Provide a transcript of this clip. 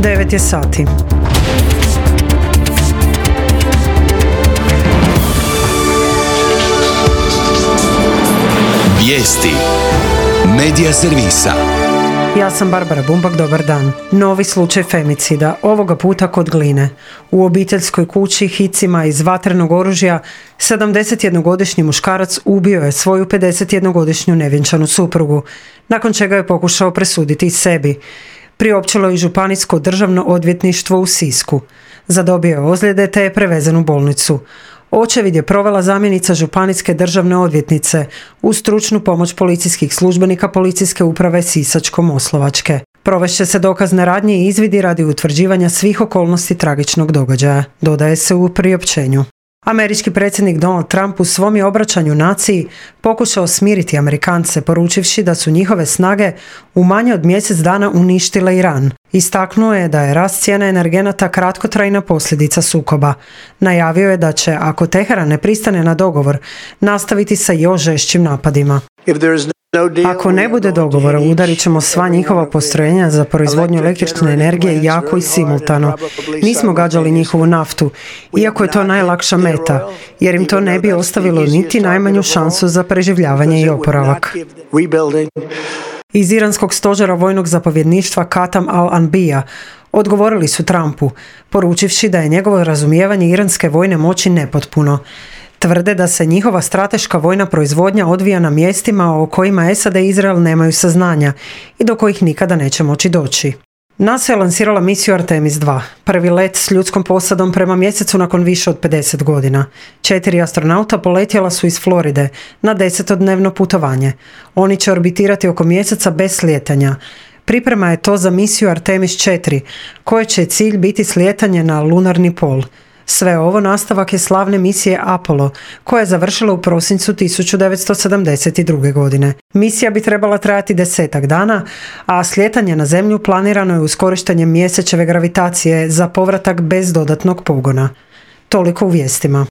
9 je sati. Vijesti Medija servisa. Ja sam Barbara Bumbak, dobar dan. Novi slučaj femicida, ovoga puta kod Gline. U obiteljskoj kući hicima iz vatrenog oružja 71-godišnji muškarac ubio je svoju 51-godišnju nevjenčanu suprugu, nakon čega je pokušao presuditi sebi. Priopćilo je Županijsko državno odvjetništvo u Sisku. Zadobio je ozljede te je prevezen u bolnicu. Očevid je provela zamjenica županijske državne odvjetnice uz stručnu pomoć policijskih službenika Policijske uprave Sisačko-moslavačke. Provešće se dokazne radnje i izvidi radi utvrđivanja svih okolnosti tragičnog događaja, dodaje se u priopćenju. Američki predsjednik Donald Trump u svom je obraćanju naciji pokušao smiriti Amerikance, poručivši da su njihove snage u manje od mjesec dana uništile Iran. Istaknuo je da je rast cijena energenata kratkotrajna posljedica sukoba. Najavio je da će, ako Teheran ne pristane na dogovor, nastaviti sa još žešćim napadima. Ako ne bude dogovora, udarit ćemo sva njihova postrojenja za proizvodnju električne energije jako i simultano. Nismo gađali njihovu naftu, iako je to najlakša meta, jer im to ne bi ostavilo niti najmanju šansu za preživljavanje i oporavak. Iz iranskog stožera vojnog zapovjedništva Katam al-Anbija odgovorili su Trumpu, poručivši da je njegovo razumijevanje iranske vojne moći nepotpuno. Tvrde da se njihova strateška vojna proizvodnja odvija na mjestima o kojima SAD i Izrael nemaju saznanja i do kojih nikada neće moći doći. NASA je lansirala misiju Artemis 2, prvi let s ljudskom posadom prema mjesecu nakon više od 50 godina. 4 astronauta poletjela su iz Floride na 10-dnevno putovanje. Oni će orbitirati oko mjeseca bez slijetanja. Priprema je to za misiju Artemis 4, koje će cilj biti slijetanje na lunarni pol. Sve ovo nastavak je slavne misije Apollo, koja je završila u prosincu 1972. godine. Misija bi trebala trajati 10 dana, a slijetanje na Zemlju planirano je uz korištenje mjesečeve gravitacije za povratak bez dodatnog pogona. Toliko u vijestima.